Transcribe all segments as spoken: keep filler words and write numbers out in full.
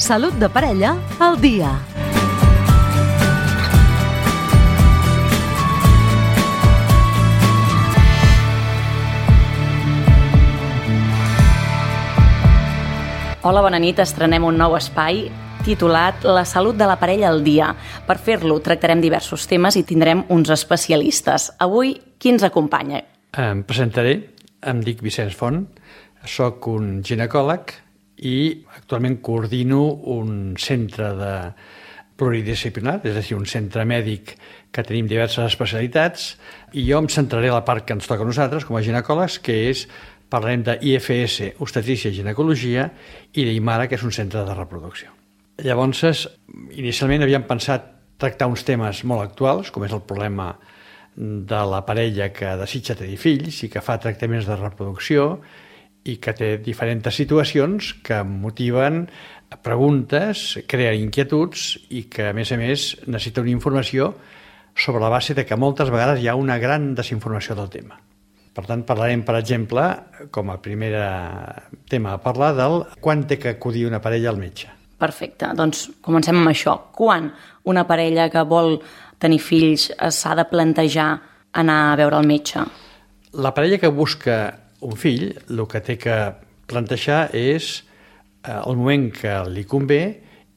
Salut de parella al dia. Hola, bona nit. Estrenem un nou espai titulat La salut de la parella al dia. Per fer-lo tractarem diversos temes i tindrem uns especialistes. Avui, qui ens acompanya? Em presentaré, em dic Vicenç Font, soc un ginecòleg i actualment coordino un centre de pluridisciplinar, és a dir, un centre mèdic que tenim diverses especialitats, i jo em centraré a la part que ens toca a nosaltres com a ginecòlegs, que és, parlarem d'I F S, obstetrícia i ginecologia, i d'Imara, que és un centre de reproducció. Llavors, inicialment havíem pensat tractar uns temes molt actuals, com és el problema de la parella que desitja tenir fills i que fa tractaments de reproducció i que té diferents situacions que motiven preguntes, creen inquietuds i que, a més a més, necessita una informació sobre la base de que moltes vegades hi ha una gran desinformació del tema. Per tant, parlarem, per exemple, com a primer tema a parlar del quan té que acudir una parella al metge. Perfecte, doncs comencem amb això. Quan una parella que vol tenir fills s'ha de plantejar anar a veure el metge? La parella que busca un fill, el que té que plantejar és el moment que li convé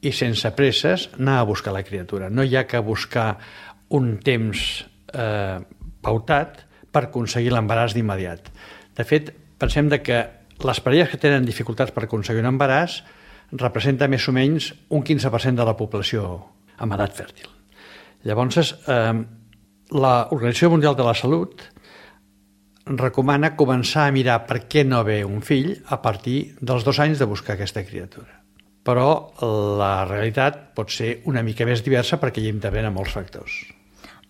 i sense presses anar a buscar la criatura. No hi ha que buscar un temps eh, pautat per aconseguir l'embaràs d'immediat. De fet, pensem de que les parelles que tenen dificultats per aconseguir un embaràs representa més o menys un quinze per cent de la població amb edat fèrtil. Llavors, eh, l'Organització Mundial de la Salut recomana començar a mirar per què no ve un fill a partir dels dos anys de buscar aquesta criatura. Però la realitat pot ser una mica més diversa perquè hi intervenen molts factors.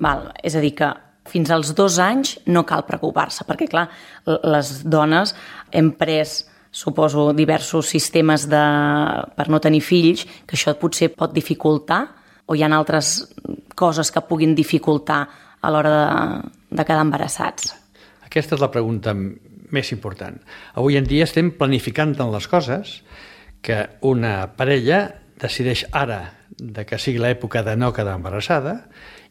Val, és a dir que fins als dos anys no cal preocupar-se, perquè, clar, les dones hem pres, suposo, diversos sistemes de... per no tenir fills, que això potser pot dificultar, o hi ha altres coses que puguin dificultar a l'hora de, de quedar embarassats? Aquesta és la pregunta més important. Avui en dia estem planificant tant les coses que una parella decideix ara de que sigui l'època de no quedar embarassada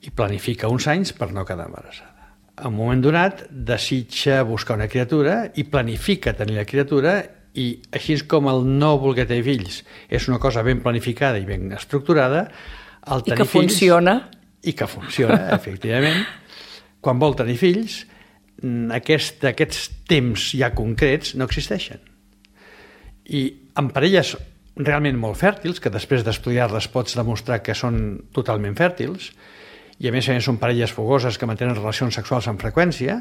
i planifica uns anys per no quedar embarassada. En un moment donat desitja buscar una criatura i planifica tenir la criatura, i així com el no voler tenir fills és una cosa ben planificada i ben estructurada, el tenir I que fills, funciona. I que funciona, efectivament. Quan vol tenir fills, aquest, aquests temps ja concrets no existeixen. I en parelles realment molt fèrtils, que després d'estudiar-les pots demostrar que són totalment fèrtils, i a més a més són parelles fogoses que mantenen relacions sexuals amb freqüència,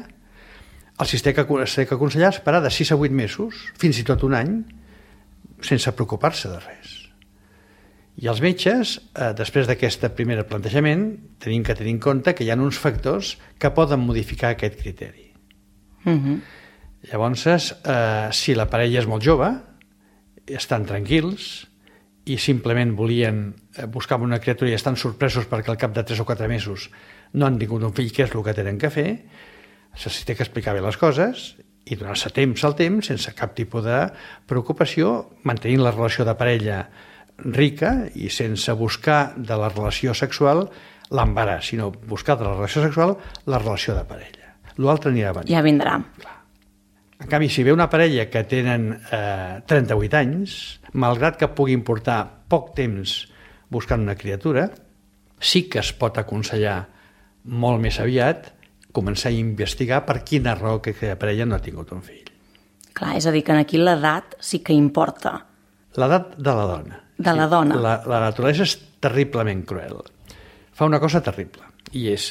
els té que, té que aconsellar esperar de sis a vuit mesos, fins i tot un any, sense preocupar-se de res. I els metges, eh, després d'aquest primer plantejament, tenim que tenir en compte que hi ha uns factors que poden modificar aquest criteri. Uh-huh. Llavors, eh, si la parella és molt jove, estan tranquils i simplement volien buscar una criatura i estan sorpresos perquè al cap de tres o quatre mesos no han tingut un fill, que és el que tenen que fer, se'ls té que explicar bé les coses i donar-se temps al temps, sense cap tipus de preocupació, mantenint la relació de parella rica i sense buscar de la relació sexual l'embaràs, sinó buscar de la relació sexual la relació de parella. L'altre anirà venint. Ja vindrà. Clar. En canvi, si ve una parella que tenen eh, trenta-vuit anys, malgrat que puguin portar poc temps buscant una criatura, sí que es pot aconsellar molt més aviat començar a investigar per quina raó que aquella parella no ha tingut un fill. Clar, és a dir, que aquí l'edat sí que importa. L'edat de la dona. De la dona. La, la naturalesa és terriblement cruel. Fa una cosa terrible, i és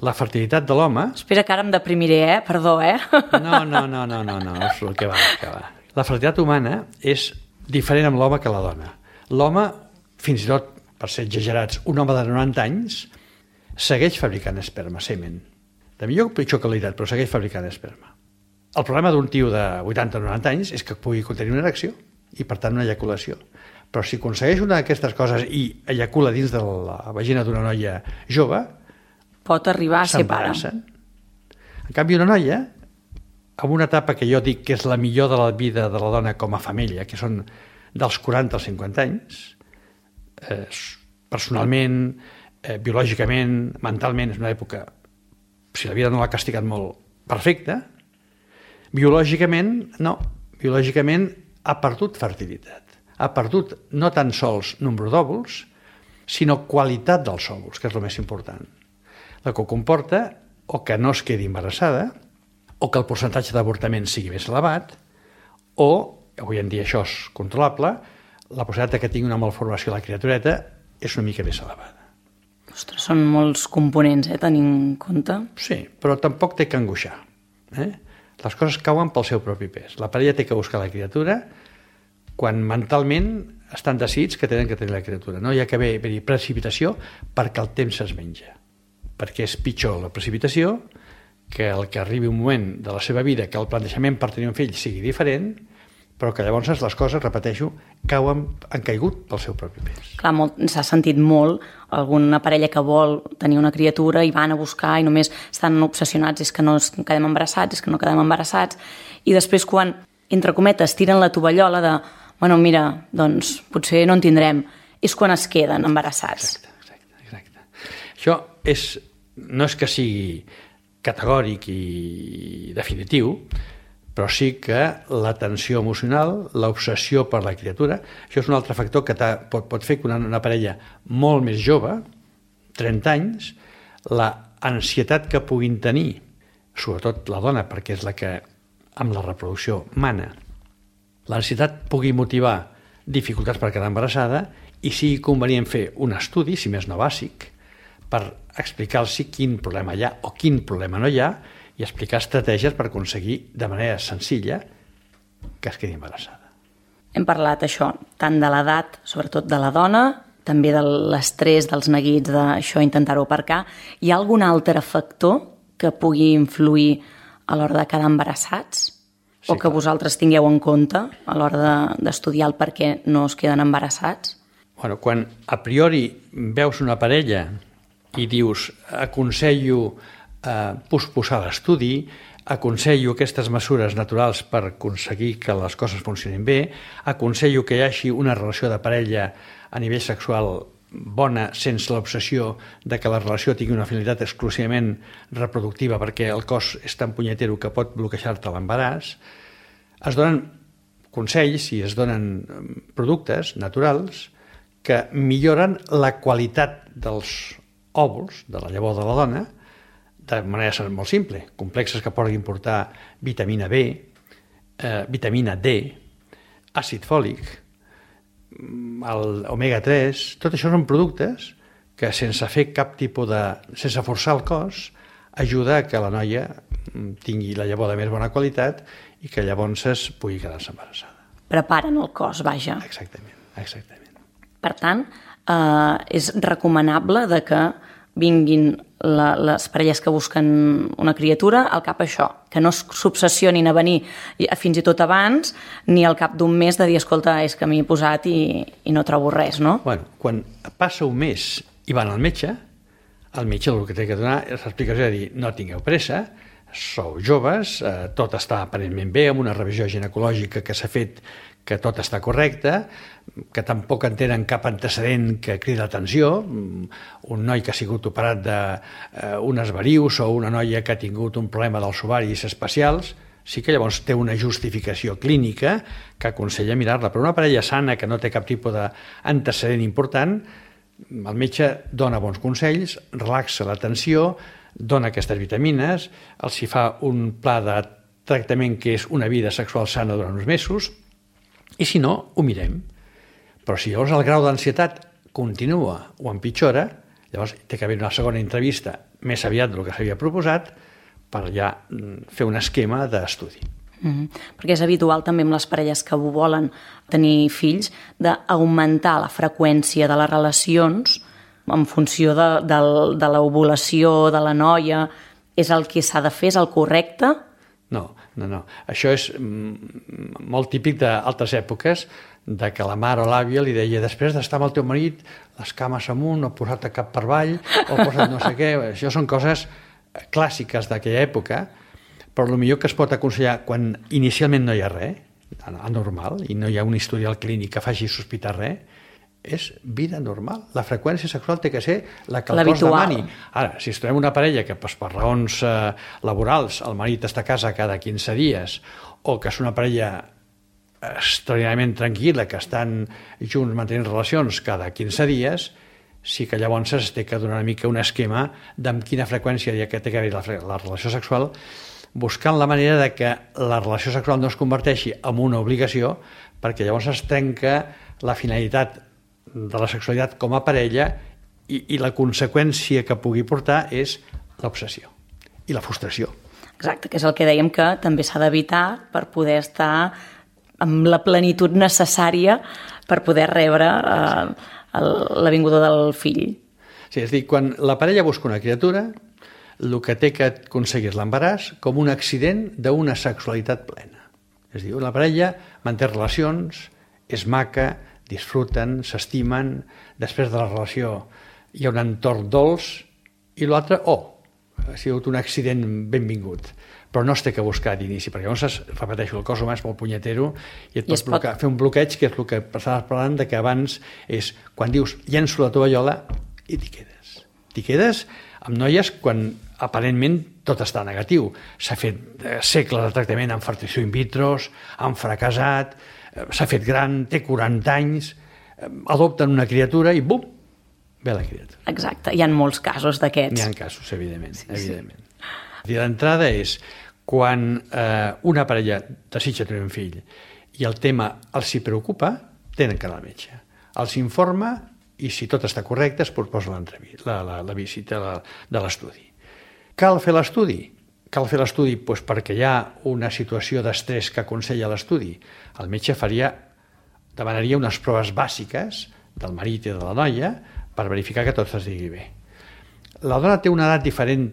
la fertilitat de l'home... Espera, que ara em deprimiré, eh? Perdó, eh? No, no, no, no, no, no, és el que va, que va. La fertilitat humana és diferent amb l'home que la dona. L'home, fins i tot, per ser exagerats, un home de noranta anys, segueix fabricant esperma, semen. De millor o pitjor qualitat, però segueix fabricant esperma. El problema d'un tio de vuitanta o noranta anys és que pugui contenir una erecció i, per tant, una eyaculació. Però si aconsegueix una d'aquestes coses i eyacula dins de la vagina d'una noia jove, pot arribar a ser pare. En canvi, una noia, amb una etapa que jo dic que és la millor de la vida de la dona com a família, que són dels quaranta als cinquanta anys, eh, personalment, eh, biològicament, mentalment, és una època, si la vida no l'ha castigat molt, perfecta. Biològicament, no. Biològicament ha perdut fertilitat. Ha perdut no tan sols nombre d'òvuls, sinó qualitat dels òvuls, que és el més important. La que comporta o que no es quedi embarassada, o que el percentatge d'avortament sigui més elevat, o, avui en dia això és controlable, la possibilitat que tingui una malformació a la criatureta és una mica més elevada. Ostres, són molts components, eh, tenint en compte. Sí, però tampoc té que angoixar. Eh? Les coses cauen pel seu propi pes. La parella té que buscar la criatura quan mentalment estan decidits que tenen que tenir la criatura. No hi ha que haver-hi precipitació perquè el temps es menja. Perquè és pitjor la precipitació que el que arribi un moment de la seva vida que el plantejament per tenir un fill sigui diferent, però que llavors les coses, repeteixo, cauen, han caigut pel seu propi pes. Clar, s'ha sentit molt alguna parella que vol tenir una criatura i van a buscar i només estan obsessionats, és que no quedem embarassats, és que no quedem embarassats, i després quan, entre cometes, tiren la tovallola de, bueno, mira, doncs potser no en tindrem, és quan es queden embarassats. Exacte, exacte, exacte. Això és, no és que sigui categòric i definitiu, però sí que la tensió emocional, l'obsessió per la criatura, això és un altre factor que pot, pot fer que una, una parella molt més jove, trenta anys, la ansietat que puguin tenir, sobretot la dona, perquè és la que amb la reproducció mana, l'ansietat pugui motivar dificultats per quedar embarassada i sigui convenient fer un estudi, si més no bàsic, per explicar-los quin problema hi ha o quin problema no hi ha, i explicar estratègies per aconseguir de manera senzilla que es quedi embarassada. Hem parlat això, tant de l'edat, sobretot de la dona, també de l'estrès, dels neguits, d'això, intentar-ho aparcar. Hi ha algun altre factor que pugui influir a l'hora de quedar embarassats? Sí, o que clar. Vosaltres tingueu en compte a l'hora d'estudiar el per què no es queden embarassats? Bueno, quan a priori veus una parella i dius aconsello eh, posposar l'estudi, aconsello aquestes mesures naturals per aconseguir que les coses funcionin bé, aconsello que hi hagi una relació de parella a nivell sexual bona sense l'obsessió de que la relació tingui una finalitat exclusivament reproductiva perquè el cos és tan punyetero que pot bloquejar-te l'embaràs. Es donen consells i es donen productes naturals que milloren la qualitat dels òvuls, de la llavor de la dona, de manera molt simple, complexes que poden portar vitamina B, eh, vitamina D, àcid fòlic, el omega tres, tot això són productes que sense fer cap tipus de... sense forçar el cos, ajuda a que la noia tingui la llavor de més bona qualitat i que llavors es pugui quedar-se embarassada. Preparen el cos, vaja. Exactament, exactament. Per tant, eh, és recomanable de que vinguin la, les parelles que busquen una criatura al cap això, que no s'obsessionin a venir fins i tot abans, ni al cap d'un mes de dir, escolta, és que m'hi he posat i, i no trobo res, no? Bueno, quan passa un mes i van al metge, el metge el que té que donar és l'explicació de dir, no tingueu pressa, sou joves, eh, tot està aparentment bé, amb una revisió ginecològica que s'ha fet que tot està correcte, que tampoc en tenen cap antecedent que crida l'atenció, un noi que ha sigut operat d'unes eh, varius o una noia que ha tingut un problema dels ovaris especials, sí que llavors té una justificació clínica que aconsella mirar-la, però una parella sana que no té cap tipus d'antecedent important, el metge dona bons consells, relaxa la tensió, dona aquestes vitamines, els hi fa un pla de tractament que és una vida sexual sana durant uns mesos, i si no, ho mirem. Però si llavors el grau d'ansietat continua o empitjora, llavors té que haver una segona entrevista més aviat del que s'havia proposat per ja fer un esquema d'estudi. Mm-hmm. Perquè és habitual també amb les parelles que volen tenir fills d'augmentar la freqüència de les relacions en funció de, de, de l'ovulació de la noia. És el que s'ha de fer, és el correcte? No, no, no. Això és mm, molt típic d'altres èpoques, de que la mare o l'àvia li deia després d'estar amb el teu marit, les cames amunt, o posar-te cap per avall, o posar no sé què. Això són coses clàssiques d'aquella època, però el millor que es pot aconsellar quan inicialment no hi ha res, anormal, i no hi ha un historial clínic que faci sospitar res, és vida normal. La freqüència sexual té que ser la que el cos demani. Ara, si es trobem una parella que pues, per raons eh, laborals el marit està a casa cada quinze dies o que és una parella extraordinàriament tranquil·la, que estan junts mantenint relacions cada quinze dies, sí que llavors es té que donar una mica un esquema d'amb quina freqüència hi ha que té que haver la, la relació sexual, buscant la manera de que la relació sexual no es converteixi en una obligació, perquè llavors es trenca la finalitat de la sexualitat com a parella i, i la conseqüència que pugui portar és l'obsessió i la frustració. Exacte, que és el que dèiem que també s'ha d'evitar per poder estar amb la plenitud necessària per poder rebre eh, la vinguda del fill. Sí, és a dir, quan la parella busca una criatura, el que té que aconseguir l'embaràs com un accident d'una sexualitat plena. És a dir, la parella manté relacions, és maca, disfruten, s'estimen, després de la relació hi ha un entorn dolç i l'altre, oh, ha sigut un accident benvingut, però no es té que buscar d'inici, perquè llavors, repeteixo, el cos humà és molt punyetero i et pot, I pot... Blocar, fer un bloqueig, que és el que estaves parlant, de que abans és, quan dius, llenço la tovallola, i t'hi quedes. T'hi quedes amb noies quan aparentment tot està negatiu. S'ha fet segles de tractament amb fertilització in vitro, han fracassat, s'ha fet gran, té quaranta anys, adopten una criatura i bum, ve la criatura. Exacte, hi ha molts casos d'aquests. N'hi ha casos, evidentment. Sí, evidentment. Sí. L'entrada és quan eh, una parella desitja tenir un fill i el tema els hi preocupa, tenen que anar al metge. Els informa i si tot està correcte es proposa la, la, la visita la, de l'estudi. Cal fer l'estudi? Cal fer l'estudi doncs, perquè hi ha una situació d'estrès que aconsella l'estudi. El metge faria, demanaria unes proves bàsiques del marit i de la noia per verificar que tot es digui bé. La dona té una edat diferent,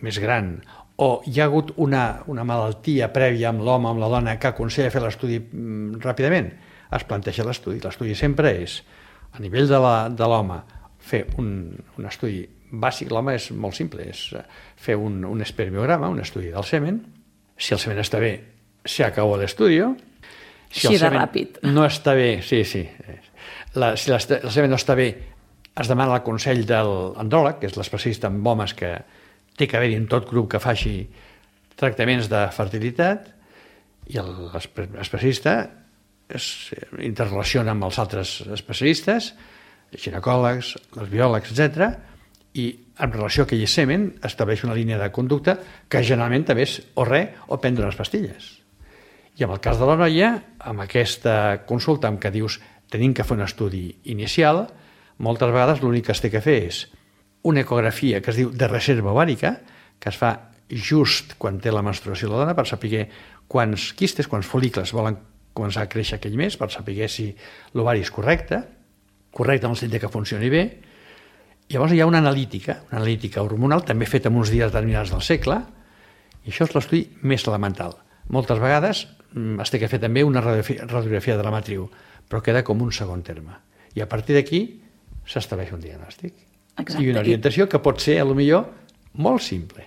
més gran, o hi ha hagut una, una malaltia prèvia amb l'home, amb la dona, que aconsella fer l'estudi mm, ràpidament, es planteja l'estudi. L'estudi sempre és, a nivell de l'home, fer un, un estudi bàsic. L'home és molt simple, és fer un, un espermiograma, un estudi del semen. Si el semen està bé, se acabó l'estudi. Si Així el de ràpid. No està bé, sí, sí. La, si el semen no està bé, es demana el consell de l'andròleg, que és l'especialista en homes que té que haver-hi en tot grup que faci tractaments de fertilitat, i l'especialista es interrelaciona amb els altres especialistes, ginecòlegs, els biòlegs, etcètera, i en relació a aquell semen estableix una línia de conducta que generalment també és o res o prendre unes pastilles. I en el cas de la noia, amb aquesta consulta en què dius tenim que fer un estudi inicial, moltes vegades l'únic que es té que fer és una ecografia que es diu de reserva ovàrica, que es fa just quan té la menstruació la dona per saber quants quistes, quants folícles volen començar a créixer aquell mes, per saber si l'ovari és correcte, correcte en el sentit que funcioni bé. Llavors hi ha una analítica, una analítica hormonal, també feta en uns dies determinats del segle, i això és l'estudi més elemental. Moltes vegades es té que fer també una radiografia, radiografia de la matriu, però queda com un segon terme. I a partir d'aquí s'estableix un diagnòstic. Exacte. I una orientació que pot ser, a lo millor, molt simple.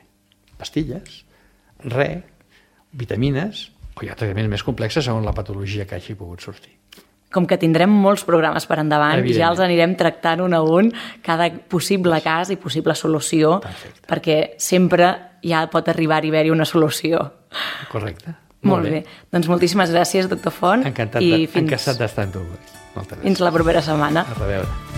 Pastilles, re, vitamines, o hi ha tractaments més complexes segons la patologia que hagi pogut sortir. Com que tindrem molts programes per endavant, ja els anirem tractant un a un, cada possible cas i possible solució, Perfecte. Perquè sempre ja pot arribar a haver-hi una solució. Correcte. Molt, Molt bé. bé. Doncs moltíssimes gràcies, doctor Font. Encantat, i de, fins... encantat d'estar amb tu. Moltes gràcies. Fins la propera setmana. A reveure.